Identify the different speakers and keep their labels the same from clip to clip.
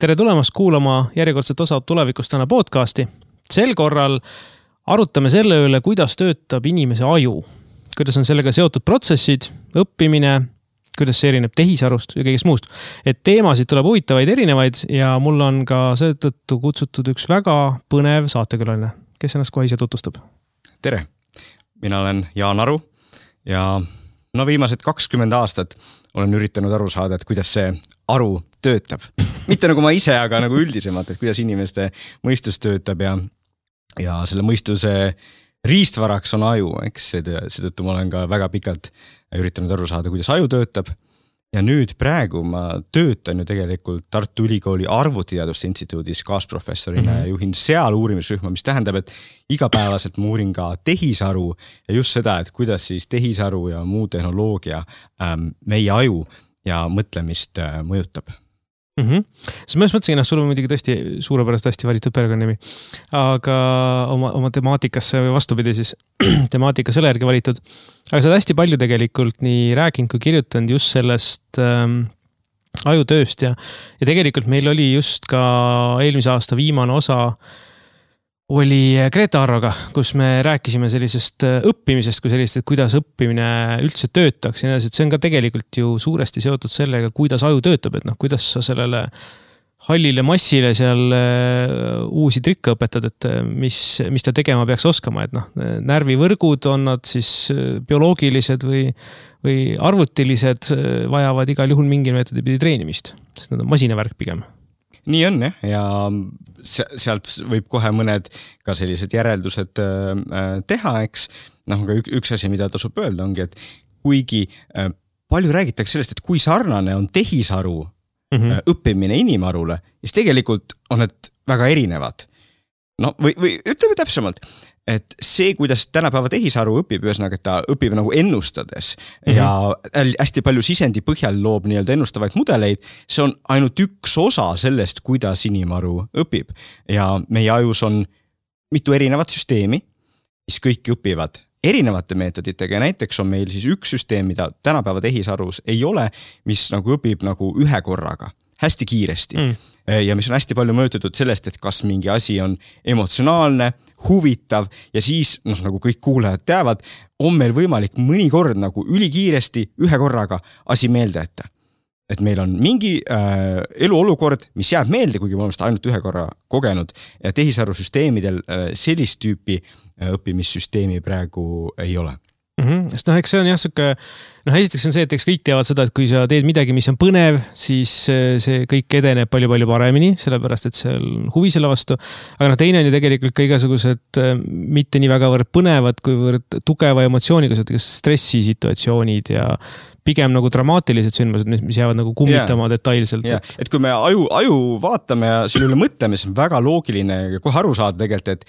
Speaker 1: Tere tulemast kuulama järjekordset osa Tulevikust täna podcasti. Sel korral arutame selle üle, kuidas töötab inimese aju. Kuidas on sellega seotud protsessid, õppimine, kuidas see erineb tehisarust ja kõigest muust. Et teemasid tuleb huvitavaid erinevaid ja mul on ka seetõttu kutsutud üks väga põnev saatekülaline, kes ennast kohe ise tutvustab.
Speaker 2: Tere, mina olen Jaan Aru ja viimased 20 aastat olen üritanud aru saada, et kuidas see aru töötab. Mitte nagu ma ise, aga nagu üldisemalt, et kuidas inimeste mõistus töötab ja selle mõistuse riistvaraks on aju, eks seetõttu ma olen ka väga pikalt üritanud aru saada, kuidas aju töötab. Ja nüüd praegu ma töötan ju tegelikult Tartu Ülikooli arvutiteaduste instituudis kaasprofessorina ja juhin seal uurimisrühma, mis tähendab, et igapäevaselt ma uurin ka tehisaru ja just seda, et kuidas siis tehisaru ja muu tehnoloogia meie aju ja mõtlemist mõjutab.
Speaker 1: Siis ma mõtlesin, sul on muidugi tõesti suurepärast hästi valitud perekonnanimi, aga oma temaatikasse või vastupidi siis temaatika selle järgi valitud. Aga sa oled hästi palju tegelikult nii rääkinud kui kirjutanud just sellest ajutööst ja tegelikult meil oli just ka eelmise aasta viimane osa oli Greta Arroga, kus me rääkisime sellisest õppimisest kui sellist, et kuidas õppimine üldse töötaks. See on ka tegelikult ju suuresti seotud sellega, kuidas aju töötab, et kuidas sa sellele hallile massile seal uusi trikke õpetad, et mis ta tegema peaks oskama. Et närvivõrgud on nad siis bioloogilised või arvutilised, vajavad igal juhul mingi meetodi pidi treenimist, sest nad on masinavärk pigem.
Speaker 2: Nii on ja sealt võib kohe mõned ka sellised järeldused teha, eks. Aga üks asi, mida tasub öelda ongi, et kuigi palju räägitakse sellest, et kui sarnane on tehisaru õppimine inimarule, siis tegelikult on need väga erinevad. Või ütleme täpsemalt, et see, kuidas tänapäeva tehisaru õpib, ühesõnaga, et ta õpib nagu ennustades ja hästi palju sisendi põhjal loob nii-öelda ennustavaid mudeleid, see on ainult üks osa sellest, kuidas inimaru õpib. Ja meie ajus on mitu erinevat süsteemi, mis kõik õpivad erinevate meetoditega ja näiteks on meil siis üks süsteem, mida tänapäeva tehisarus ei ole, mis nagu õpib nagu ühe korraga, hästi kiiresti. Ja mis on hästi palju mõjutatud sellest, et kas mingi asi on emotsionaalne, huvitav ja siis, nagu kõik kuulajad teavad, on meil võimalik mõnikord nagu ülikiiresti ühe korraga asi meelde jätta. Et meil on mingi eluolukord, mis jääb meelde, kuigi me oleme seda ainult ühe korra kogenud ja tehisarusüsteemidel sellist tüüpi õppimissüsteemi praegu ei ole.
Speaker 1: Sest eks see on jah, esiteks on see, et eks kõik teavad seda, et kui sa teed midagi, mis on põnev, siis see kõik edeneb palju-palju paremini, sellepärast, et see on huvi selle vastu. Aga teine on ju tegelikult ka igasugused mitte nii väga võrd põnevad, kuivõrd tugeva emotsiooniga, stressisituatsioonid ja pigem nagu dramaatilised sündmused, mis jäävad nagu kummitama detailselt.
Speaker 2: Et kui me aju vaatame ja selle üle mõtleme, siis on väga loogiline kohe aru saada tegelikult, et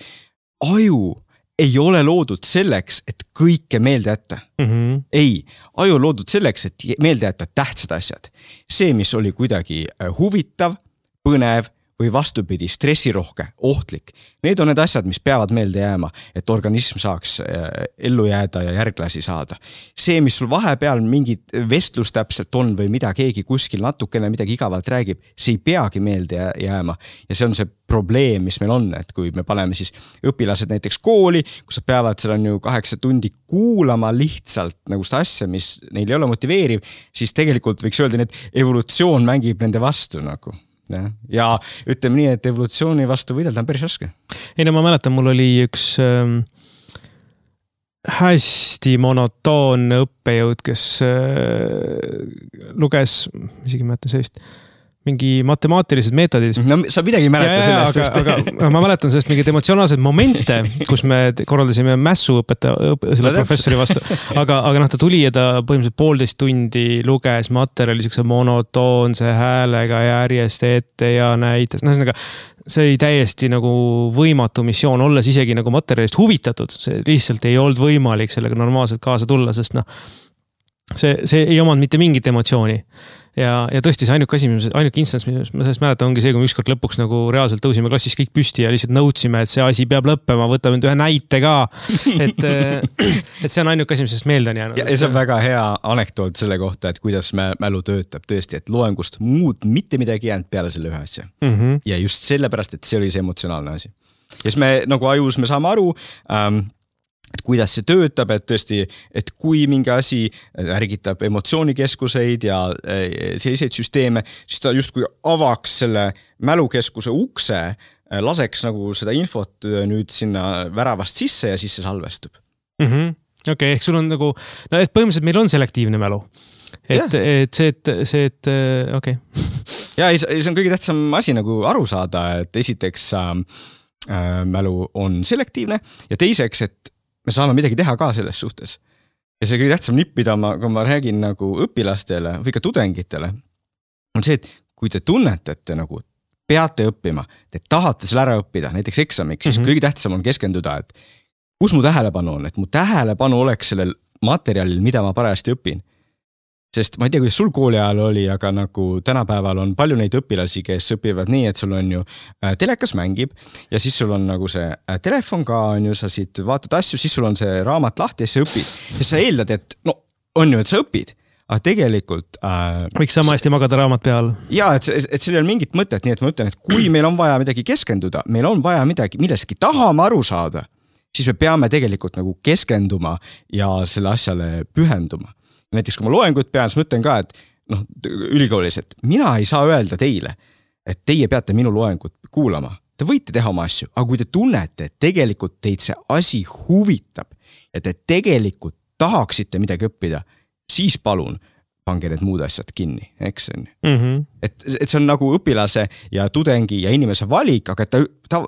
Speaker 2: aju ei ole loodud selleks, et kõike meelde jätta. Ei, aju on loodud selleks, et meelde jätta tähtsad asjad. See, mis oli kuidagi huvitav, põnev või vastupidi, stressirohke, ohtlik. Need on need asjad, mis peavad meelde jääma, et organism saaks ellu jääda ja järglasi saada. See, mis sul vahepeal mingit vestlus täpselt on või mida keegi kuskil natukene midagi igavalt räägib, see ei peagi meelde jääma. Ja see on see probleem, mis meil on, et kui me paneme siis õpilased näiteks kooli, kus nad peavad seal on ju 8 tundi kuulama lihtsalt nagu seda asja, mis neil ei ole motiveeriv, siis tegelikult võiks öelda, et evolutsioon mängib nende vastu nagu. Ja ütleme nii, et evolutsiooni vastu võidelda on päris raske.
Speaker 1: Ei, ma mäletan, mul oli üks hästi monotoonne õppejõud, kes luges, isegi mäletan sellist, mingi matemaatilised meetodid.
Speaker 2: Sa midagi mäleta sellest.
Speaker 1: Aga ma mäletan sellest mingid emotsionaalsed momente, kus me korraldasime mässu selle professori vastu. Aga ta tuli ja ta põhimõtteliselt 1,5 tundi luges materjali monotoonse häälega järjest ette ja näitas. See oli täiesti nagu võimatu missioon, olles isegi nagu materjalist huvitatud. See lihtsalt ei olnud võimalik sellega normaalselt kaasa tulla, sest see ei omanud mitte mingit emotsiooni. ja tõesti see ainuke instants, mis ma sellest mäletan, ongi see, kui me ükskord lõpuks nagu reaalselt tõusime klassis kõik püsti ja lihtsalt nõudsime, et see asi peab lõppema, võtame ühe näite ka. Et see on ainuke asi, mis sellest meelde on jäänud.
Speaker 2: Ja see on väga hea anekdoot selle kohta, et kuidas mälu töötab tõesti, et loengust muud mitte midagi jäänud peale selle ühe asja. Ja just sellepärast, et see oli see emotsionaalne asi. Ja siis me nagu ajus me saame aru, et kuidas see töötab, et tõesti, et kui mingi asi ärgitab emotsioonikeskuseid ja selliseid süsteeme, siis ta justkui avaks selle mälukeskuse ukse, laseks nagu seda infot nüüd sinna väravast sisse ja siis see salvestub.
Speaker 1: Okei, ehk sul on nagu, no et põhimõtteliselt meil on selektiivne mälu. Et okei.
Speaker 2: Ja see on kõige tähtsam asi nagu aru saada, et esiteks mälu on selektiivne ja teiseks, et me saame midagi teha ka selles suhtes. Ja see kõige tähtsam nipp, mida kui ma räägin nagu õpilastele või ka tudengitele, on see, et kui te tunnete, et te nagu peate õppima, te tahate selle ära õppida, näiteks eksamiks, siis kõige tähtsam on keskenduda, et kus mu tähelepanu on, et mu tähelepanu oleks sellel materjalil, mida ma parajasti õpin. Sest ma ei tea, kuidas sul kooli ajal oli, aga nagu tänapäeval on palju neid õpilasi, kes õpivad nii, et sul on ju telekas mängib ja siis sul on nagu see telefon ka, on ju, sa siit vaatad asju, siis sul on see raamat lahti ja sa õpid. Ja sa eeldad, et no on ju, et sa õpid, aga tegelikult
Speaker 1: võiks sama hästi magada raamat peal.
Speaker 2: Ja, et seal ei ole mingit mõtet, nii et ma ütlen, et kui meil on vaja midagi keskenduda, meil on vaja midagi, millestki tahame aru saada, siis me peame tegelikult nagu keskenduma ja selle asjale pühenduma. Näiteks kui ma loengut pean, siis mõtlen ka, et ülikoolis, et mina ei saa öelda teile, et teie peate minu loengut kuulama. Te võite teha oma asju, aga kui te tunnete, et tegelikult teid see asi huvitab ja te tegelikult tahaksite midagi õppida, siis palun pange need muud asjad kinni, eks on. Et see on nagu õpilase ja tudengi ja inimese valik, aga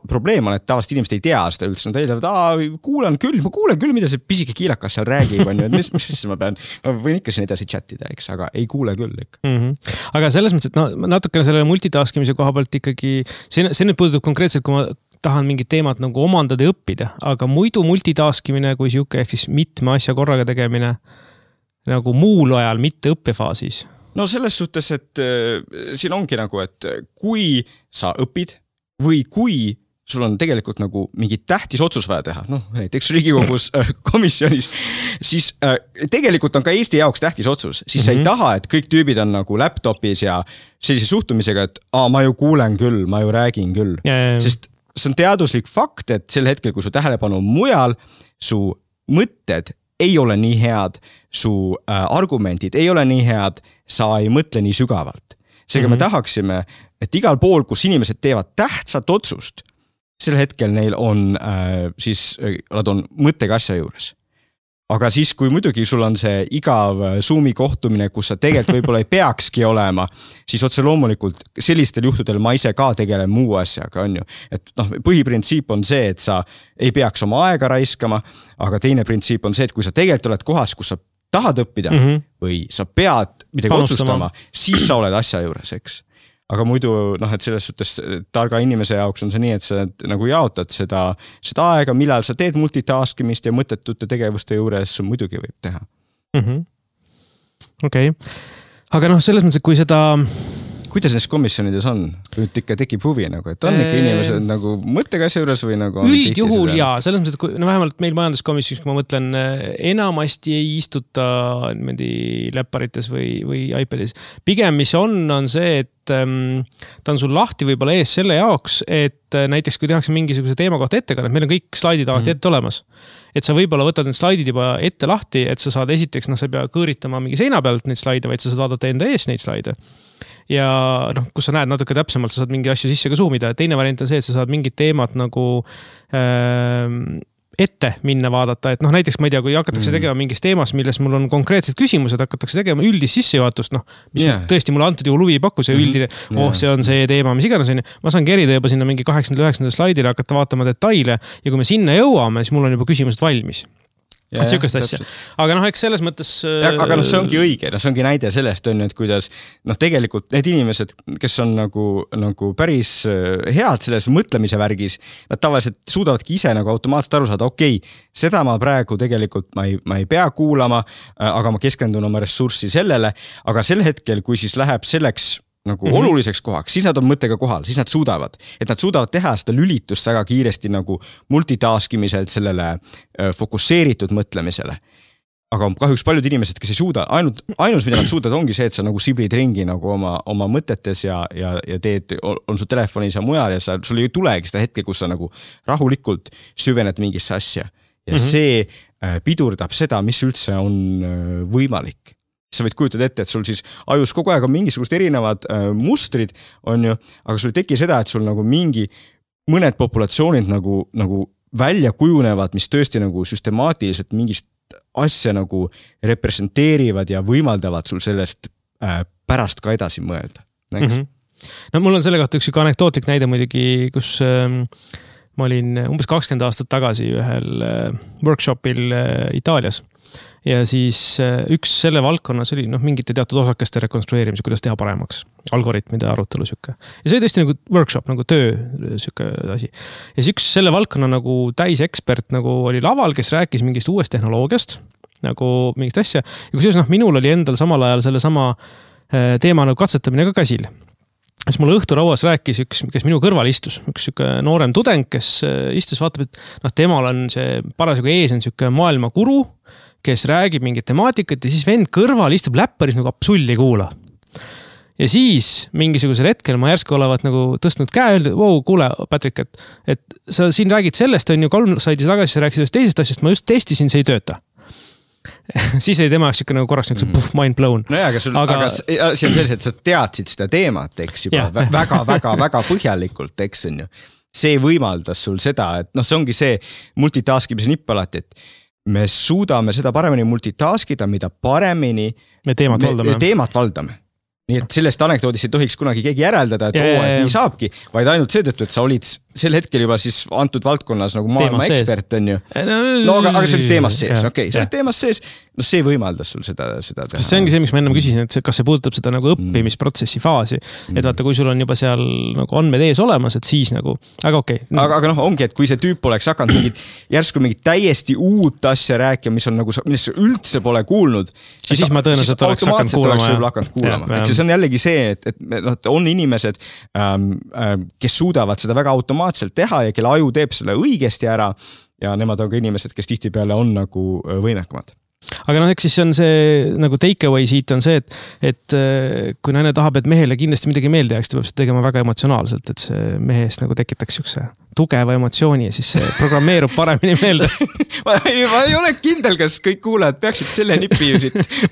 Speaker 2: probleem on, et tavaliselt inimesed ei tea seda üldse. Nad eeldavad, ma kuulen küll, mida see pisike kiilakas seal räägib, on ju, et mis siis ma võin ikka siin edasi chatida, eks, aga ei kuule küll ikka.
Speaker 1: Aga selles mõttes, et natukene selle multitaskimise koha pealt ikkagi, see nüüd puudutab konkreetselt, kui ma tahan mingit teemat nagu omandada ja õppida, aga muidu multitaskimine kui siuke, ehk siis mitme asja korraga tegemine nagu muul ajal, mitte õppefaasis.
Speaker 2: No selles suhtes, et siin ongi nagu, et kui sa õpid või kui sul on tegelikult nagu mingi tähtis otsus vaja teha, näiteks Riigikogus komisjonis, siis tegelikult on ka Eesti jaoks tähtis otsus, siis sa ei taha, et kõik tüübid on nagu laptopis ja sellise suhtumisega, et ma ju kuulen küll, ma ju räägin küll, sest see on teaduslik fakt, et sel hetkel, kui su tähelepanu on mujal, su mõtted ei ole nii head, su argumentid ei ole nii head, sa ei mõtle nii sügavalt. Seega me tahaksime, et igal pool, kus inimesed teevad tähtsat otsust, sel hetkel neil on, nad on mõttega asja juures. Aga siis, kui muidugi sul on see igav Zoomi kohtumine, kus sa tegelikult võib-olla ei peakski olema, siis otse loomulikult sellistel juhtudel ma ise ka tegelen muu asjaga, on ju. Et põhiprintsiip on see, et sa ei peaks oma aega raiskama, aga teine printsiip on see, et kui sa tegelikult oled kohas, kus sa tahad õppida või sa pead midagi otsustama, siis sa oled asja juures, eks. Aga muidu, et selles suhtes targa inimese jaoks on see nii, et sa nagu jaotad seda aega, millal sa teed multitaskimist ja mõttetute tegevuste juures muidugi võib teha.
Speaker 1: Okei. Aga selles mõttes, et kui seda...
Speaker 2: Kuidas neist komisjonides on? Nüüd ikka tekib huvi, et on ikka inimesed nagu mõttega asja juures või nagu...
Speaker 1: Üldjuhul jaa, selles mõttes, et vähemalt meil majanduskomisjonis, kui ma mõtlen, enamasti ei istuta läpparites või iPadis. Pigem, mis on see, et ta on sul lahti võib-olla ees selle jaoks, et näiteks kui tehakse mingisuguse teema kohta ettekannet, meil on kõik slaidid alati ette olemas. Et sa võib-olla võtad need slaidid juba ette lahti, et sa saad esiteks, sa ei pea kõõritama mingi seina pealt neid slaide, vaid sa saad vaadata enda ees neid slaide. Ja kus sa näed natuke täpsemalt, sa saad mingi asju sisse ka zoomida. Teine variant on see, et sa saad mingid teemad nagu ette minna vaadata, et näiteks ma ei tea, kui hakatakse tegema mingis teemas, milles mul on konkreetsed küsimused, hakatakse tegema üldist sissejuhatust, mis tõesti mulle antud juhul huvi ei paku, see üldine, see on see teema, mis iganes on, ma saan kerida juba sinna mingi 8-9 slaidile, hakata vaatama detaile ja kui me sinna jõuame, siis mul on juba küsimused valmis. Sihukest asja. Aga eks selles mõttes...
Speaker 2: Aga see ongi õige, see ongi näide sellest, et kuidas tegelikult need inimesed, kes on nagu päris head selles mõtlemise värgis, nad tavaliselt suudavadki ise automaatselt aru saada, seda ma praegu tegelikult ma ei pea kuulama, aga ma keskendun oma ressurssi sellele, aga sel hetkel, kui siis läheb selleks oluliseks kohaks, siis nad on mõttega kohal, siis nad suudavad teha seda lülitust väga kiiresti multitaskimiselt sellele fokusseeritud mõtlemisele. Aga kahjuks paljud inimesed, kes ei suuda, ainus, mida nad suudavad, ongi see, et sa siblid ringi oma mõtetes ja teed, on su telefonis ja mujal ja sul ei tulegi seda hetke, kus sa rahulikult süvened mingisse asja. Ja see pidurdab seda, mis üldse on võimalik. Sa võid kujutada ette, et sul siis ajus kogu aeg on mingisugust erinevad mustrid, on ju, aga sul ei teki seda, et sul mõned populatsioonid välja kujunevad, mis tõesti süstemaatiliselt mingist asja representeerivad ja võimaldavad sul sellest pärast ka edasi mõelda.
Speaker 1: No mul on selle kohta üks anekdootlik näide muidugi, kus ma olin umbes 20 aastat tagasi ühel workshopil Itaalias. Ja siis üks selle valdkonnas oli mingite teatud osakeste rekonstrueerimise, kuidas teha paremaks. Algoritmide arutelu sükke. Ja see oli tõesti workshop, töö sükke asi. Ja siis üks selle valdkonna täisekspert oli laval, kes rääkis mingist uuest tehnoloogiast, mingist asja. Ja kusjuures minul oli endal samal ajal selle sama teema katsetamine ka käsil. Siis mulle õhturauas rääkis üks, kes minu kõrval istus, üks noorem tudeng, kes istus, vaatab, et temal on see parasjagu ees on maailma guru, kes räägib mingit temaatikat ja siis vend kõrval istub läpparis absolli kuula. Ja siis mingisugusel hetkel ma järsku olevat tõstnud käe, öeldi, kuule, Patrick, et sa siin räägid sellest, on ju 3 slaidi tagasi, sa rääkisid teisest asjast, ma just testisin, see ei tööta. Siis oli tema korraks mind blown.
Speaker 2: No aga see on sellised, et sa teadsid seda teemat, eks juba väga põhjalikult, eks on ju. See võimaldas sul seda, et see ongi see multitaskimise nipp alati, et me suudame seda paremini multitaskida, mida paremini
Speaker 1: me
Speaker 2: teemat valdame. Nii et sellest anekdoodist ei tohiks kunagi keegi järeldada, et et nii saabki, vaid ainult seetõttu, et sa olid sel hetkel juba siis antud valdkonnas maailma ekspert, on ju. No aga see oli teemas sees, see oli teemas sees, see võimaldas sul seda teha.
Speaker 1: See ongi see, miks ma ennem küsisin, et kas see puudutab seda õppimisprotsessi faasi, et vaata, kui sul on juba seal andmed ees olemas, et siis aga okei.
Speaker 2: Aga ongi, et kui see tüüp oleks hakanud järsku mingit täiesti uut asja rääkima, millest sa üldse pole kuulnud,
Speaker 1: siis ma tõenäoliselt oleks
Speaker 2: hakanud kuulama. See on jällegi see, et on inimesed, kes suudavad seda väga automaatselt teha ja kelle aju teeb selle õigesti ära ja nemad on ka inimesed, kes tihtipeale on võimekamad.
Speaker 1: Aga eks siis on see take away siit on see, et kui naine tahab, et mehele kindlasti midagi meelde jääks, ta peab seda tegema väga emotsionaalselt, et see mehest tekitakse üks tugeva emotsiooni ja siis see programmeerub paremini meelde.
Speaker 2: ma ei ole kindel, kas kõik kuulajad peaksid selle nipi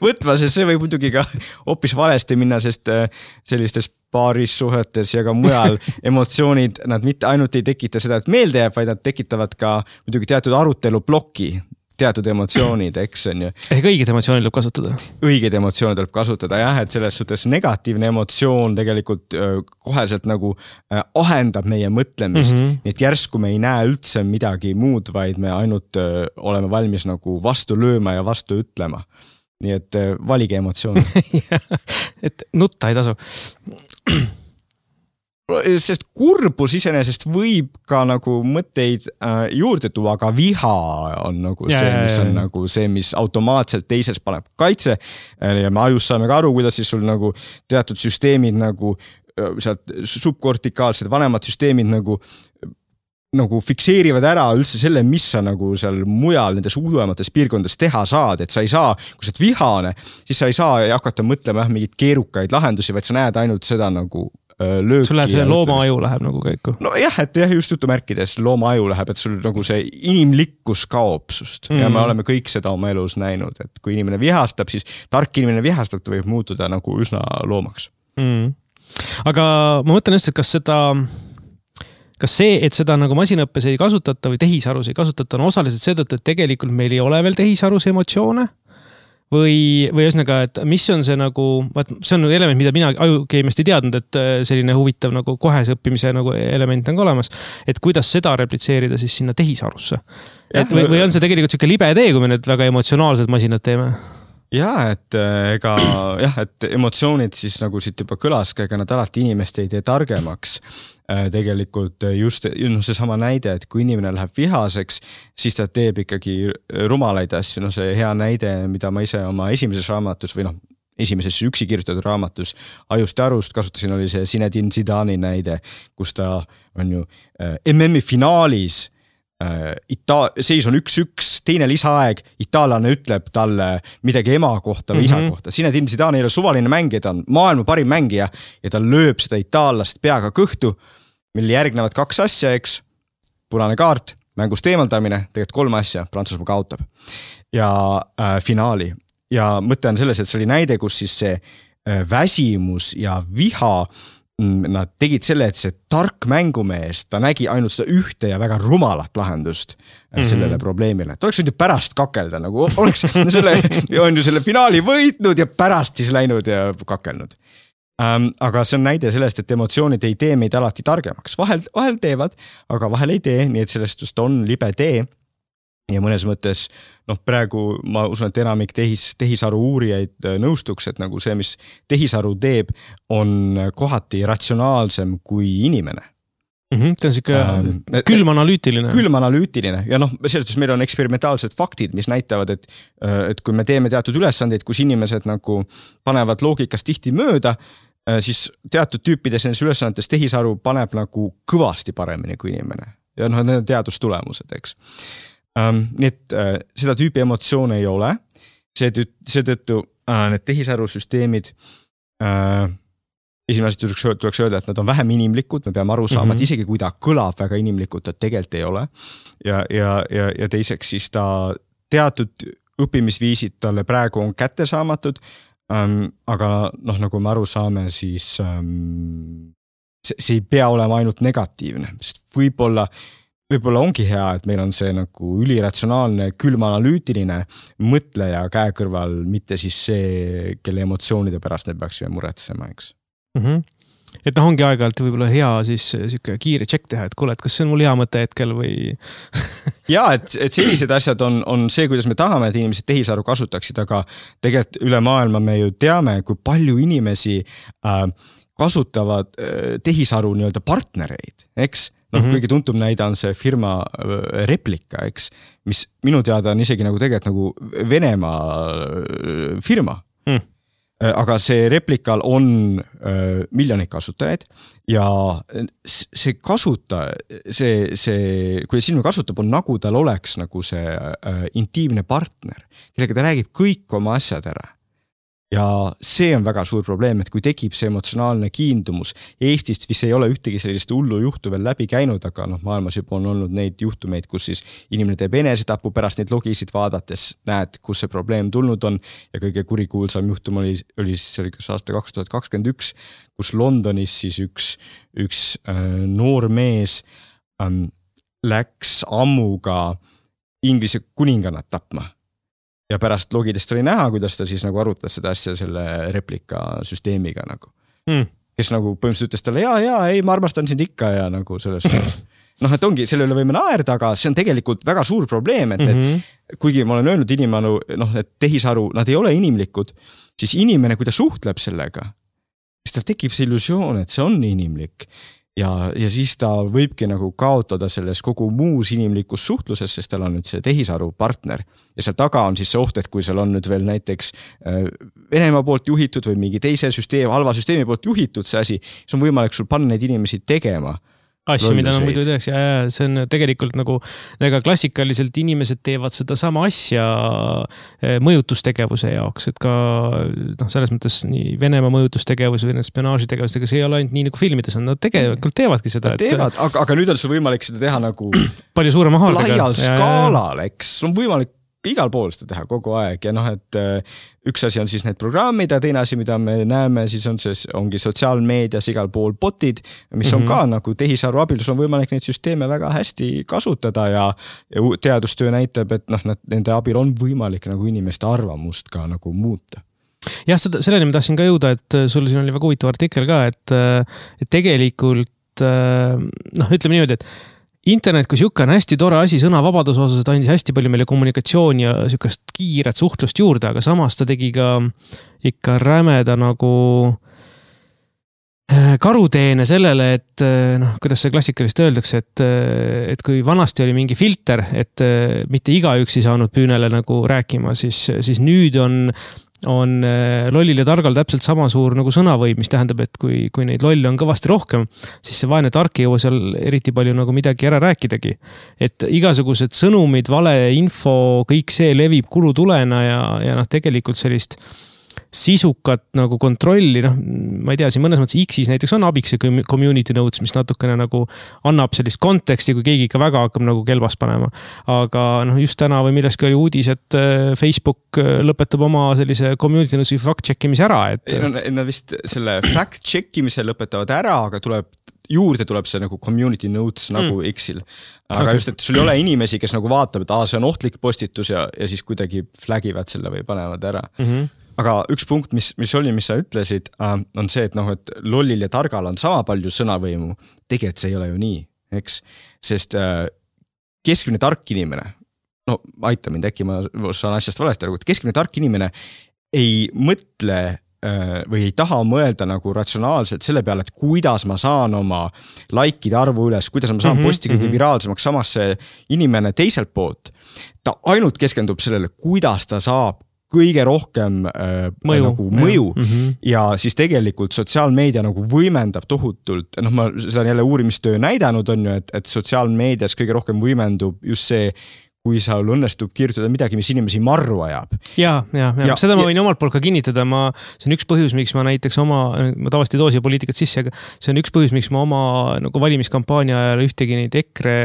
Speaker 2: võtma, sest see võib muidugi ka hoopis valesti minna, sest sellistes paarissuhetes ja ka mujal emotsioonid, nad mitte ainult ei tekita seda, et meelde jääb, vaid nad tekitavad ka muidugi teatud aruteluploki. Teatud emotsioonid, eks on ju.
Speaker 1: Ehk õiged emotsioonid tuleb kasutada.
Speaker 2: Õiged emotsioonid tuleb kasutada, jah, et selles suhtes negatiivne emotsioon tegelikult koheselt ahendab meie mõtlemist. Nii et järsku me ei näe üldse midagi muud, vaid me ainult oleme valmis vastu lööma ja vastu ütlema. Nii et valige emotsioon.
Speaker 1: et nutta ei tasu.
Speaker 2: Sest kurbus iseenesest võib ka mõtteid juurde tuua, aga viha on see, mis automaatselt teises paneb kaitse ja me ajus saame ka aru, kuidas siis sul teatud süsteemid sealt subkortikaalsed vanemad süsteemid fikseerivad ära üldse selle, mis sa seal mujal nendes uuemates piirkondades teha saad, et sa ei saa, kui sa oled vihane, siis sa ei saa hakata mõtlema mingeid keerukaid lahendusi, vaid sa näed ainult seda lööki.
Speaker 1: Sul läheb see looma aju läheb käiku.
Speaker 2: No jah, et just jutumärkides looma aju läheb, et sul see inimlikkus kaob sust ja me oleme kõik seda oma elus näinud, et kui inimene vihastab, siis tark inimene vihastab, ta võib muutuda üsna loomaks.
Speaker 1: Aga ma mõtlen just, et kas see, et seda masinaõppes ei kasutata või tehisarus ei kasutata, on osaliselt seetõttu, et tegelikult meil ei ole veel tehisarus emotsioone või ühesõnaga, et mis on see nagu, see on element, mida mina ajukeemiast ei teadnud, et selline huvitav nagu kohese õppimise nagu element on ka olemas, et kuidas seda replitseerida siis sinna tehisarusse. Või on see tegelikult siuke libe tee, kui me need väga emotsionaalsed masinad teeme?
Speaker 2: Et et emotsioonid siis nagu siit juba kõlas, ega nad alati inimest ei tee targemaks. Tegelikult just see sama näide, et kui inimene läheb vihaseks, siis ta teeb ikkagi rumalaid asju. See hea näide, mida ma ise oma esimeses raamatus või esimeses üksi kirjutatud raamatus Ajust ja arust kasutasin, oli see Zinedine Zidani näide, kus ta on ju MM-i finaalis seis on 1-1, teine lisaaeg, itaallane ütleb talle midagi ema kohta või isa kohta. Zinedine Zidane ei ole suvaline mängija, ta on maailma parim mängija ja ta lööb seda itaallast peaga kõhtu, mille järgnevad 2 asja, eks, punane kaart, mängust eemaldamine, tegelikult 3 asja, Prantsusmaa kaotab ja finaali. Ja mõte on selles, et see oli näide, kus siis see väsimus ja viha nad tegid selle, et see tark mängumees, ta nägi ainult seda ühte ja väga rumalat lahendust sellele probleemile. Ta oleks võinud ju pärast kakelda, nagu oleks selle finaali võitnud ja pärast siis läinud ja kakelnud. Aga see on näide sellest, et emotsioonid ei tee meid alati targemaks. Vahel teevad, aga vahel ei tee, nii et sellest just on libe tee. Ja mõnes mõttes, praegu ma usun, et enamik tehisaru uurijaid nõustuks, et nagu see, mis tehisaru teeb, on kohati ratsionaalsem kui inimene.
Speaker 1: See on siuke külmanalüütiline.
Speaker 2: Külmanalüütiline ja selles meil on eksperimentaalsed faktid, mis näitavad, et kui me teeme teatud ülesandeid, kus inimesed nagu panevad loogikast tihti mööda, siis teatud tüüpides nendes ülesannetes tehisaru paneb nagu kõvasti paremini kui inimene. Ja need on teadustulemused, eks. Nii et seda tüüpi emotsioone ei ole, seetõttu need tehisarusüsteemid esimene asi tuleks öelda, et nad on vähem inimlikud, me peame aru saama, et isegi kui ta kõlab väga inimlikult, ta tegelikult ei ole ja teiseks siis ta teatud õppimisviisid talle praegu on kättesaamatud, aga nagu me aru saame, siis see ei pea olema ainult negatiivne, sest võib-olla ongi hea, et meil on see nagu üliratsionaalne, külmanalüütiline mõtleja käe kõrval, mitte siis see, kelle emotsioonide pärast me peaksime muretsema, eks.
Speaker 1: Et ongi aeg-ajalt võib-olla hea siis siuke kiire check teha, et kuule, et kas see on mul hea mõte hetkel või...
Speaker 2: Ja, et sellised asjad on see, kuidas me tahame, et inimesed tehisaru kasutaksid, aga tegelikult üle maailma me ju teame, kui palju inimesi kasutavad tehisaru nii-öelda partnereid, eks? Kõige tuntum näide on see firma Replika, eks, mis minu teada on isegi nagu tegelikult nagu Venemaa firma. Aga see Replikal on miljonid kasutajaid ja see kasutaja, kui silme kasutab, on nagu tal oleks nagu see intiimne partner, kellega ta räägib kõik oma asjad ära. Ja see on väga suur probleem, et kui tekib see emotsionaalne kiindumus, Eestist vist ei ole ühtegi sellist hullu juhtu veel läbi käinud, aga maailmas juba on olnud neid juhtumeid, kus siis inimene teeb enesetapu pärast neid logisid vaadates, näed, kus see probleem tulnud on ja kõige kurikuulsam juhtum oli kas aasta 2021, kus Londonis siis üks noor mees läks ammuga Inglise kuningannat tapma. Ja pärast logidest oli näha, kuidas ta siis nagu arutas seda asja selle Replika süsteemiga nagu. Kes nagu põhimõtteliselt ütles talle, ei, ma armastan sind ikka ja nagu sellest. Et ongi, selle üle võime naerda, aga see on tegelikult väga suur probleem, et kuigi ma olen öelnud inimene, et tehisaru, nad ei ole inimlikud, siis inimene, kui ta suhtleb sellega, siis tal tekib see illusioon, et see on inimlik. Ja siis ta võibki nagu kaotada selles kogu muus inimlikus suhtluses, sest tal on nüüd see tehisaru partner. Ja seal taga on siis see oht, et kui seal on nüüd veel näiteks Venemaa poolt juhitud või mingi teise halva süsteemi poolt juhitud see asi, siis on võimalik sul panna neid inimesi tegema.
Speaker 1: Asju, mida nad muidu teeks ja see on tegelikult nagu klassikaliselt inimesed teevad seda sama asja mõjutustegevuse jaoks, et ka selles mõttes nii Venemaa mõjutustegevus või spionaažitegevus, ega see ei ole ainult nii nagu filmides on, nad tegelikult teevadki seda.
Speaker 2: Aga nüüd on sul võimalik seda teha nagu
Speaker 1: palju suurema haardega.
Speaker 2: Laial skaalal, eks, sul on võimalik igal pool seda teha kogu aeg ja et üks asi on siis need programmid ja teine asi, mida me näeme, siis ongi sotsiaalmeedias igal pool botid, mis on ka nagu tehisaru abil, on võimalik neid süsteeme väga hästi kasutada ja teadustöö näitab, et nende abil on võimalik nagu inimeste arvamust ka nagu muuta.
Speaker 1: Jah, selleni ma tahtsin ka jõuda, et sul siin oli väga huvitav artikkel ka, et tegelikult ütleme niimoodi, et internet kui siuke on hästi tore asi sõnavabaduse osas, et andis hästi palju meile kommunikatsiooni ja siukest kiiret suhtlust juurde, aga samas ta tegi ka ikka rämeda nagu karuteene sellele, et kuidas see klassikalist öeldakse, et kui vanasti oli mingi filter, et mitte igaüks ei saanud püünele nagu rääkima, siis nüüd on lollil ja targal täpselt sama suur nagu sõnavõim, mis tähendab, et kui neid lolle on kõvasti rohkem, siis see vaene tark ei jõua seal eriti palju nagu midagi ära rääkidagi. Et igasugused sõnumid, valeinfo, kõik see levib kulutulena ja tegelikult sellist sisukat nagu kontrolli, ma ei tea, siin mõnes mõttes X-is näiteks on abiks see community notes, mis natukene nagu annab sellist konteksti, kui keegi ikka väga hakkab nagu kelbas panema. Aga just täna või milleski oli uudis, et Facebook lõpetab oma sellise community notes'i fact-checkimise ära.
Speaker 2: Nad vist selle fact-checkimise lõpetavad ära, aga juurde tuleb see nagu community notes nagu X-il. Aga just, et sul ei ole inimesi, kes nagu vaatab, et see on ohtlik postitus ja siis kuidagi flagivad selle või panevad ära. Aga üks punkt, mis sa ütlesid, on see, et lollil ja targal on sama palju sõnavõimu. Tegelikult see ei ole ju nii, eks? Sest keskmine tark inimene, aita mind, äkki ma saan asjast valesti aru, et keskmine tark inimene ei mõtle või ei taha mõelda nagu ratsionaalselt selle peale, et kuidas ma saan oma likeide arvu üles, kuidas ma saan posti kõige viraalsemaks, samas see inimene teiselt poolt, ta ainult keskendub sellele, kuidas ta saab kõige rohkem mõju. Ja siis tegelikult sotsiaalmeedia nagu võimendab tohutult, ma seda on jälle uurimistöö näidanud on ju, et sotsiaalmeedias kõige rohkem võimendub just see, kui sa õnnestub kirjutada midagi, mis inimesi marru ajab.
Speaker 1: Ja seda ma võin omalt poolt ka kinnitada. See on üks põhjus, miks ma näiteks ma tavaliselt ei too siia poliitikat sisse, aga see on üks põhjus, miks ma oma nagu valimiskampaania ajal ühtegi neid EKRE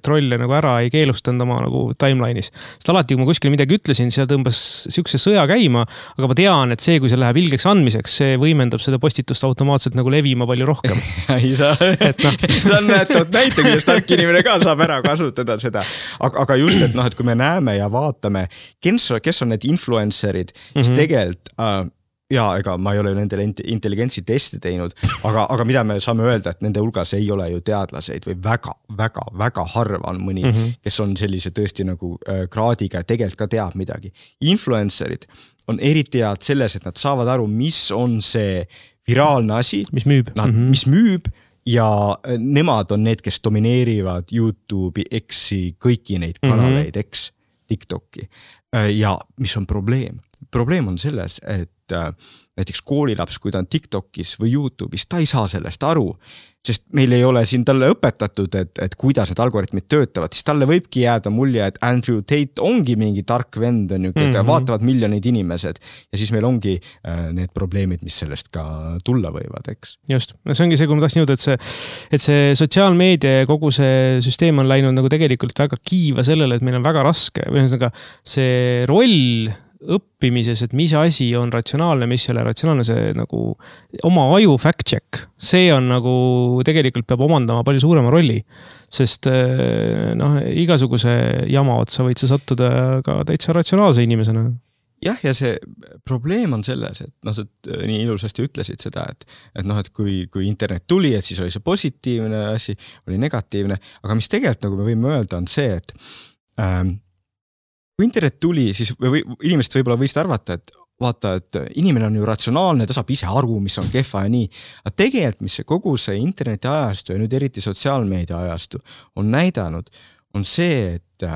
Speaker 1: trolle nagu ära ei keelustanud oma nagu timeline'is. Sest alati, kui ma kuskil midagi ütlesin, seal tõmbas siukse sõja käima, aga ma tean, et see, kui see läheb ilgeks andmiseks, see võimendab seda postitust automaatselt nagu levima palju rohkem.
Speaker 2: Sa näite, kuidas tark inimene ka saab ära kasutada seda. Aga just, et kui me näeme ja vaatame, kes on need influencerid, kes tegelikult, ega ma ei ole nendele intelligentsi testi teinud, aga mida me saame öelda, et nende hulgas ei ole ju teadlaseid või väga harva on mõni, kes on sellise tõesti nagu kraadiga ja tegelikult ka teab midagi. Influencerid on eriti head selles, et nad saavad aru, mis on see viraalne asi,
Speaker 1: mis müüb.
Speaker 2: Ja nemad on need, kes domineerivad YouTube'i, X-i, kõiki neid kanaleid, X, TikTok'i. Ja mis on probleem? Probleem on selles, et näiteks koolilaps, kui ta on TikTok'is või YouTube'is, ta ei saa sellest aru, sest meil ei ole siin talle õpetatud, et kuidas need algoritmid töötavad, siis talle võibki jääda mulje, et Andrew Tate ongi mingi tark vend, kes vaatavad miljoneid inimesed ja siis meil ongi need probleemid, mis sellest ka tulla võivad, eks?
Speaker 1: Just, see ongi see, kui ma tahtsin jõuda, et see sotsiaalmeedia ja kogu see süsteem on läinud nagu tegelikult väga kiiva sellele, et meil on väga raske, või see roll õppimises, et mis asi on ratsionaalne, mis ei ole ratsionaalne, see nagu oma aju fact check, see on nagu tegelikult peab omandama palju suurema rolli, sest igasuguse jama otsa võid sa sattuda ka täitsa ratsionaalse inimesena.
Speaker 2: Jah, ja see probleem on selles, et sa nii ilusasti ütlesid seda, et kui internet tuli, et siis oli see positiivne asi, oli negatiivne, aga mis tegelikult nagu me võime öelda on see, et kui internet tuli, siis inimesed võib-olla võisid arvata, et vaata, et inimene on ju ratsionaalne, ta saab ise aru, mis on kehva ja nii. Aga tegelikult, mis kogu see interneti ajastu ja nüüd eriti sotsiaalmeedia ajastu on näidanud, on see, et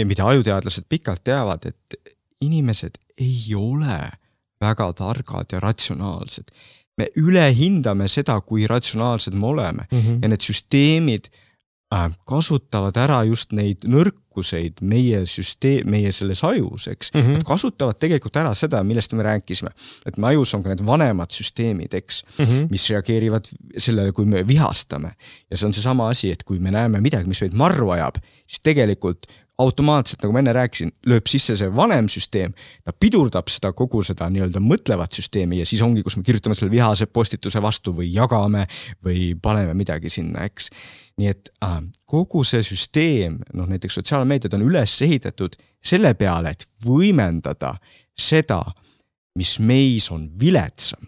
Speaker 2: mida ajuteadlased pikalt teavad, et inimesed ei ole väga targad ja ratsionaalsed. Me ülehindame seda, kui ratsionaalsed me oleme ja need süsteemid kasutavad ära just neid nõrkuseid meie selles ajus, eks. Nad kasutavad tegelikult ära seda, millest me rääkisime. Et me ajus on ka need vanemad süsteemid, eks, mis reageerivad sellele, kui me vihastame. Ja see on see sama asi, et kui me näeme midagi, mis meid marru ajab, siis tegelikult automaatselt, nagu ma enne rääkisin, lööb sisse see vanem süsteem, ta pidurdab seda kogu seda nii-öelda mõtlevat süsteemi ja siis ongi, kus me kirjutame selle vihase postituse vastu või jagame või paneme midagi sinna, eks. Nii et kogu see süsteem, näiteks sotsiaalmeediad on üles ehitatud selle peale, et võimendada seda, mis meis on viletsam.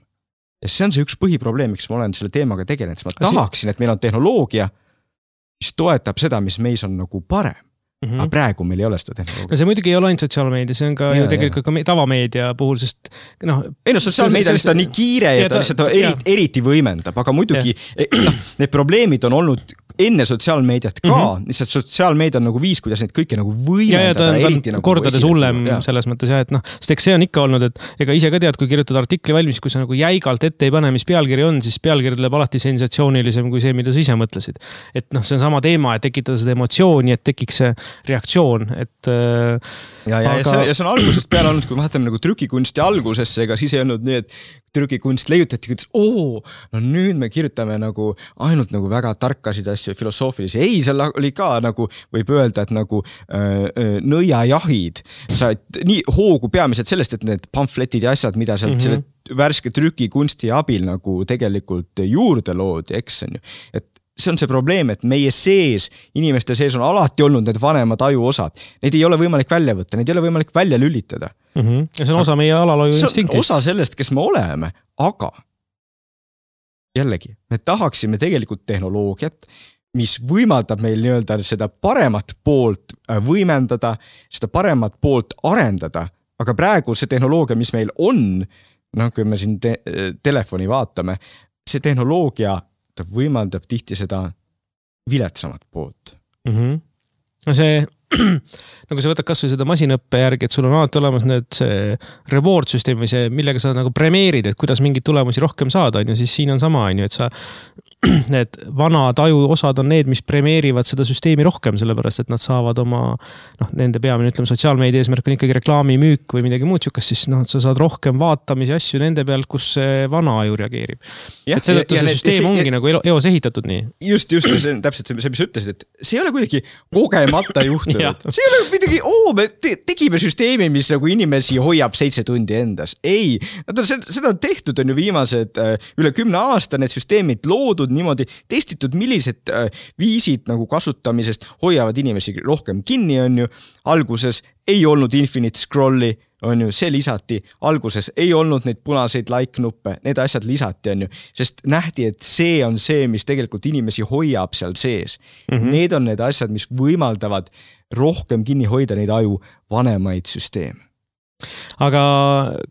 Speaker 2: Ja see on see üks põhiprobleem, miks ma olen selle teemaga tegelenud, sest ma tahaksin, et meil on tehnoloogia, mis toetab seda, mis meis on nagu parem. Aga praegu meil ei ole seda tehnoloogia.
Speaker 1: No see muidugi ei ole ainult sotsiaalmeedia, see on ka ju tegelikult ka tavameedia puhul, sest
Speaker 2: sotsiaalmeedia lihtsalt on nii kiire ja ta lihtsalt eriti võimendab, aga muidugi need probleemid on olnud enne sotsiaalmeediat ka, lihtsalt sotsiaalmeedia on nagu viis, kuidas neid kõike nagu võimendada.
Speaker 1: Ja ta on kordades hullem selles mõttes, et sest eks see on ikka olnud, et ega ise ka tead, kui kirjutad artikli valmis, kui sa nagu jäigalt ette ei pane, mis pealkiri on, siis pealkiri tuleb alati sensatsioonilisem kui see, mida sa ise mõtlesid. Et see on sama teema, et tekitada seda emotsiooni, et tekiks see reaktsioon, et
Speaker 2: ja see on algusest peale olnud, kui vaatame nagu trükikunsti algusesse, ega siis ei olnud nii, et trükikunst leiutati, et nüüd me kirjutame nagu ainult nagu väga tarkasid asju filosoofilisi. Ei, seal oli ka nagu, võib öelda, et nagu nõiajahid. Sa nii hoogu peamiselt sellest, et need pamfletid ja asjad, mida sealt selle värske trükikunsti abil nagu tegelikult juurde loodi, eks on ju. Et see on see probleem, et meie sees, inimeste sees on alati olnud need vanemad ajuosad. Neid ei ole võimalik välja võtta, neid ei ole võimalik välja lülitada.
Speaker 1: Ja see on osa meie alalhoiu instinktist.
Speaker 2: See on osa sellest, kes me oleme, aga jällegi, me tahaksime tegelikult tehnoloogiat, mis võimaldab meil nii-öelda seda paremat poolt võimendada, seda paremat poolt arendada, aga praegu see tehnoloogia, mis meil on, kui me siin telefoni vaatame, see tehnoloogia ta võimaldab tihti seda viletsamat poolt.
Speaker 1: No see, nagu sa võtad kas või seda masinõppe järgi, et sul on alati olemas need see reward süsteem või see, millega sa nagu premeerid, et kuidas mingeid tulemusi rohkem saada, ja siis siin on sama, et sa need vanad ajuosad on need, mis premeerivad seda süsteemi rohkem, sellepärast, et nad saavad oma, nende peamine, ütleme, sotsiaalmeedia eesmärk on ikkagi reklaamimüük või midagi muud sükast, siis sa saad rohkem vaatamisi asju nende pealt, kus see vana aju reageerib. Et seetõttu see süsteem ongi nagu eos ehitatud nii.
Speaker 2: Just, see on täpselt see, mis ütlesid, et see ei ole kuidagi kogemata juhtunud. See ei ole midagi, me tegime süsteemi, mis nagu inimesi hoiab 7 tundi endas. Ei, seda on tehtud on ju viimased üle 10 aasta, need süsteemid loodud niimoodi testitud, millised viisid nagu kasutamisest hoiavad inimesi rohkem kinni, on ju. Alguses ei olnud infinite scrolli, on ju, see lisati. Alguses ei olnud neid punaseid like-nuppe, need asjad lisati, on ju. Sest nähti, et see on see, mis tegelikult inimesi hoiab seal sees. Need on need asjad, mis võimaldavad rohkem kinni hoida neid aju vanemaid süsteeme.
Speaker 1: Aga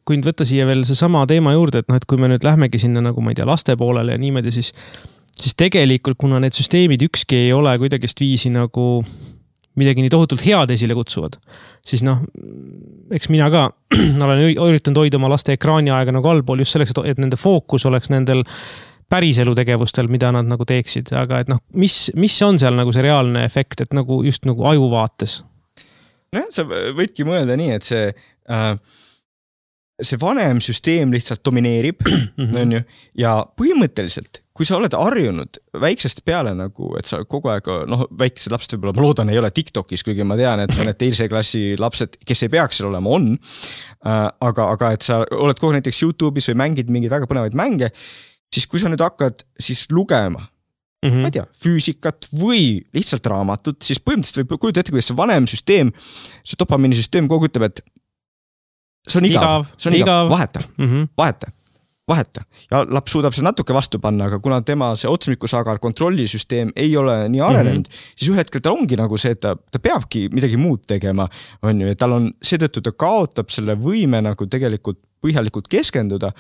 Speaker 1: kui nüüd võtta siia veel see sama teema juurde, et kui me nüüd lähmegi sinna nagu, ma ei tea, laste poolele ja niimoodi, siis tegelikult, kuna need süsteemid ükski ei ole kuidagist viisi nagu midagi nii tohutult head esile kutsuvad, siis eks mina ka olen üritanud hoida oma laste ekraani aega nagu allpool just selleks, et nende fookus oleks nendel päriselu tegevustel, mida nad nagu teeksid, aga et mis on seal nagu see reaalne efekt, et nagu just nagu aju vaates?
Speaker 2: Sa võidki mõelda nii, et see vanem süsteem lihtsalt domineerib, on ju, ja põhimõtteliselt, kui sa oled harjunud väiksest peale nagu, et sa kogu aeg, väikesed lapsed võib-olla, ma loodan, ei ole TikTokis, kuigi ma tean, et need teise klassi lapsed, kes ei peaks seal olema, on, aga et sa oled kogu näiteks YouTube'is või mängid mingeid väga põnevaid mänge, siis kui sa nüüd hakkad siis lugema, ma ei tea, füüsikat või lihtsalt raamatut, siis põhimõtteliselt võib kujuda ette, kuidas see vanem süsteem, see dopamiinisüsteem kogu ütleb, et see on igav. Vaheta. Ja laps suudab see natuke vastu panna, aga kuna tema see otsmikusagar kontrollisüsteem ei ole nii arenenud, siis ühe hetkel ta ongi nagu see, et ta peabki midagi muud tegema, on ju, et tal on seetõttu ta kaotab selle võime nagu tegelikult põhjalikult keskenduda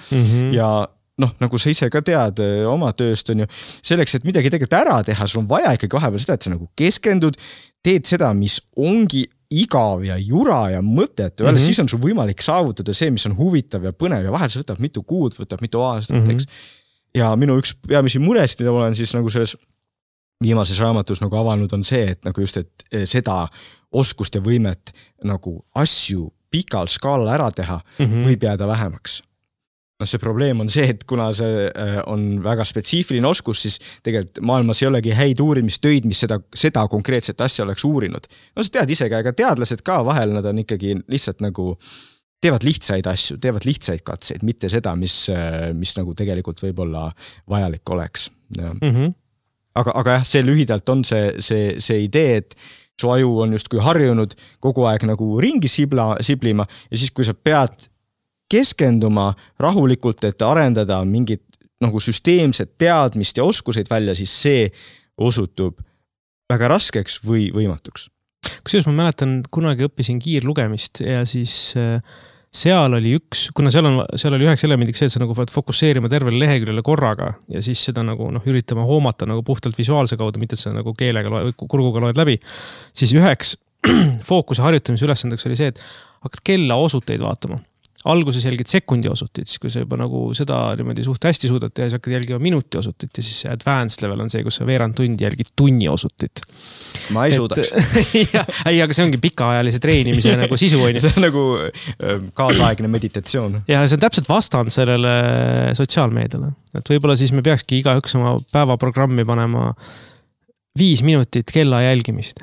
Speaker 2: ja nagu sa ise ka tead oma tööst, on ju, selleks, et midagi tegelikult ära teha, sul on vaja ikkagi vahepeal seda, et sa nagu keskendud, teed seda, mis ongi igav ja jura ja mõtet, siis on sul võimalik saavutada see, mis on huvitav ja põnev ja vahel see võtab mitu kuud, võtab mitu aastat, eks. Ja minu üks peamisi muresid, mida ma olen siis nagu selles viimases raamatus nagu avanud, on see, et nagu just, et seda oskust ja võimet nagu asju pikal skaalal ära teha võib jääda vähemaks. no see probleem on see, et kuna see on väga spetsiifiline oskus, siis tegelikult maailmas ei olegi häid uurimistöid, mis seda konkreetset asja oleks uurinud. No sa tead isegi, aga teadlased ka vahel, nad on ikkagi lihtsalt nagu teevad lihtsaid asju, teevad lihtsaid katseid, mitte seda, mis nagu tegelikult võib-olla vajalik oleks. Aga jah, see lühidalt on see idee, et su aju on justkui harjunud kogu aeg nagu ringi siblima ja siis, kui sa pead keskenduma rahulikult, et arendada mingit nagu süsteemset teadmist ja oskuseid välja, siis see osutub väga raskeks või võimatuks.
Speaker 1: Kusjuures ma mäletan, kunagi õppisin kiirlugemist ja siis seal oli kuna seal oli üheks elemendiks see, et sa nagu pead fokusseerima tervele leheküljele korraga ja siis seda nagu üritama hoomata nagu puhtalt visuaalse kaudu, mitte et sa nagu keelega kurguga loed läbi. Siis üheks fookuse harjutamise ülesandeks oli see, et hakkad kella osuteid vaatama. Alguses jälgid sekundi osutit, siis kui sa juba nagu seda niimoodi suht hästi suudad teha, siis hakkad jälgima minuti osutit ja siis see advanced level on see, kus sa veerand tundi jälgid tunni osutit.
Speaker 2: Ma ei suudaks.
Speaker 1: Ei, aga see ongi pikaajalise treenimise nagu sisu.
Speaker 2: See on nagu kaasaegne meditatsioon.
Speaker 1: Ja see on täpselt vastand sellele sotsiaalmeediale. Et võib-olla siis me peakski igaüks oma päevaprogrammi panema 5 minutit kella jälgimist.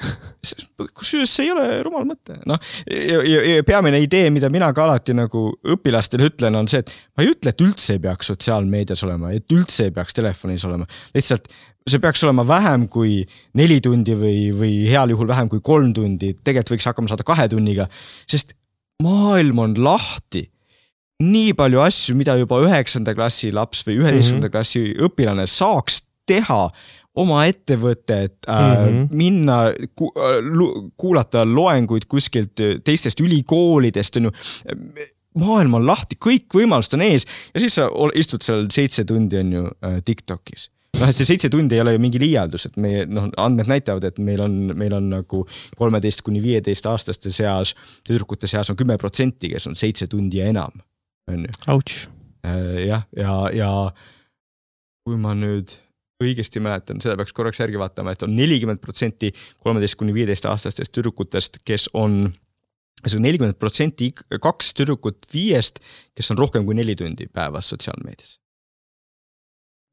Speaker 2: Kusjuures see ei ole rumal mõte. No, ja peamine idee, mida mina ka alati nagu õpilastele ütlen, on see, et ma ei ütle, et üldse ei peaks sotsiaalmeedias olema, et üldse ei peaks telefonis olema. Lihtsalt see peaks olema vähem kui 4 tundi või heal juhul vähem kui 3 tundi. Tegelikult võiks hakkama saada 2 tunniga, sest maailm on lahti. Nii palju asju, mida juba 9. klassi laps või 11. klassi õpilane saaks teha oma ettevõtet, minna kuulata loenguid kuskilt teistest ülikoolidest, on ju, maailm on lahti, kõik võimalused on ees ja siis sa istud seal 7 tundi on ju TikTokis. Et see 7 tundi ei ole ju mingi liialdus, et meie andmed näitavad, et meil on nagu 13–15 aastaste seas, tüdrukute seas on 10%, kes on 7 tundi ja enam. On ju.
Speaker 1: Ouch.
Speaker 2: Ja kui ma nüüd õigesti mäletan, seda peaks korraks järgi vaatama, et on 40% 13–15 aastastest tüdrukutest, kes on 40% 2 tüdrukut 5, kes on rohkem kui 4 tundi päevas sotsiaalmeedias.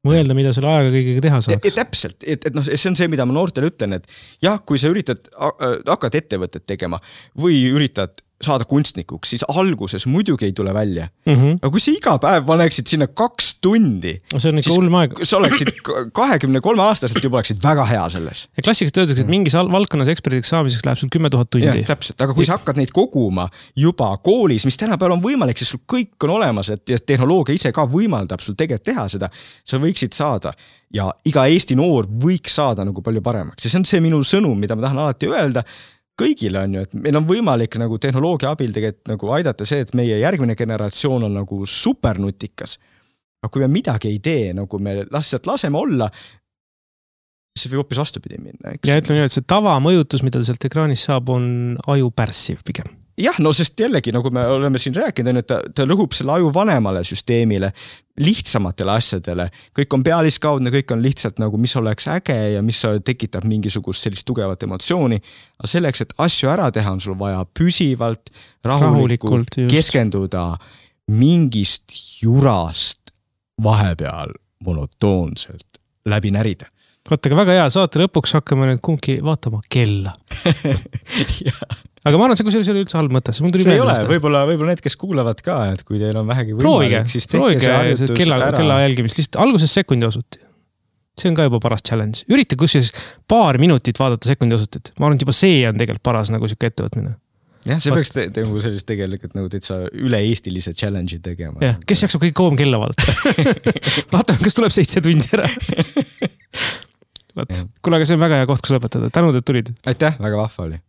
Speaker 1: Mõelda, mida selle ajaga kõigega teha saaks.
Speaker 2: Täpselt, et see on see, mida ma noortele ütlen, et jah, kui sa hakkad ettevõtet tegema või üritad saada kunstnikuks, siis alguses muidugi ei tule välja. Aga kui sa iga päev paneksid sinna 2 tundi,
Speaker 1: see on ikka hull aeg.
Speaker 2: Sa oleksid 23 aastaselt juba oleksid väga hea selles.
Speaker 1: Ja klassikast öeldakse, et mingis valdkonnas eksperdiks saamiseks läheb sul 10 000 tundi.
Speaker 2: Ja, täpselt, aga kui sa hakkad neid koguma juba koolis, mis tänapäeval on võimalik, siis sul kõik on olemas, et tehnoloogia ise ka võimaldab sul tegelikult teha seda, sa võiksid saada ja iga Eesti noor võiks saada nagu palju paremaks. Ja see on see minu sõnum, mida ma tahan alati öelda kõigile on ju, et meil on võimalik nagu tehnoloogia abil tegelikult nagu aidata see, et meie järgmine generatsioon on nagu supernutikas. Aga kui me midagi ei tee, nagu me laseme olla, see võib hoopis vastupidi minna. Eks?
Speaker 1: Ja ütlen ju, et see tavamõjutus, mida sealt ekraanis saab, on aju pärssiv pigem.
Speaker 2: Jah, no sest jällegi, nagu me oleme siin rääkinud, et ta rõhub selle aju vanemale süsteemile, lihtsamatele asjadele. Kõik on pealiskaudne, kõik on lihtsalt nagu, mis oleks äge ja mis tekitab mingisugust sellist tugevat emotsiooni. Aga selleks, et asju ära teha, on sul vaja püsivalt, rahulikult keskenduda mingist jurast vahepeal monotoonselt läbi närida.
Speaker 1: Vaata, väga hea, saate lõpuks hakkame nüüd kumbki vaatama kella. Aga ma arvan, see kusjuures oli üldse halb mõte.
Speaker 2: See ei ole, võib-olla need, kes kuulavad ka, et kui teil on vähegi võimalik, siis tehke see harjutus
Speaker 1: kella jälgimist. Lihtsalt alguses sekundi osuti. See on ka juba paras challenge. Ürita kusjuures paar minutit vaadata sekundi osutit. Ma arvan, et juba see on tegelikult paras nagu siuke ettevõtmine.
Speaker 2: Jah, see peaks sellist tegelikult nagu täitsa üle-eestilise challenge'i tegema.
Speaker 1: Jah, kes jaksab kõik koom kella vaadata? Vaatame, kas tuleb 7 tundi ära. Kuule, aga see on väga hea koht, kus lõpetada. Tänud, et tulid.
Speaker 2: Aitäh, väga vahva oli.